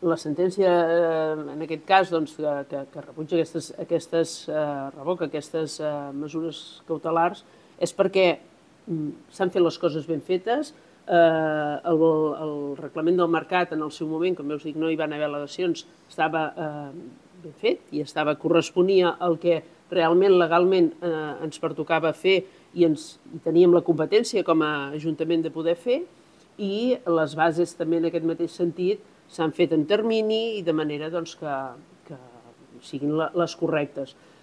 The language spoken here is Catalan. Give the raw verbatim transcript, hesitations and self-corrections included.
La sentència, en aquest cas, que rebutja aquestes, revoca aquestes mesures cautelars, és perquè s'han fet les coses ben fetes. El reglament del mercat, en el seu moment, com us dic, no hi van haver al·legacions, estava ben fet i corresponia al que realment legalment ens pertocava fer i teníem la competència com a Ajuntament de poder fer, i les bases també en aquest mateix sentit s'han fet en termini i de manera que siguin les correctes.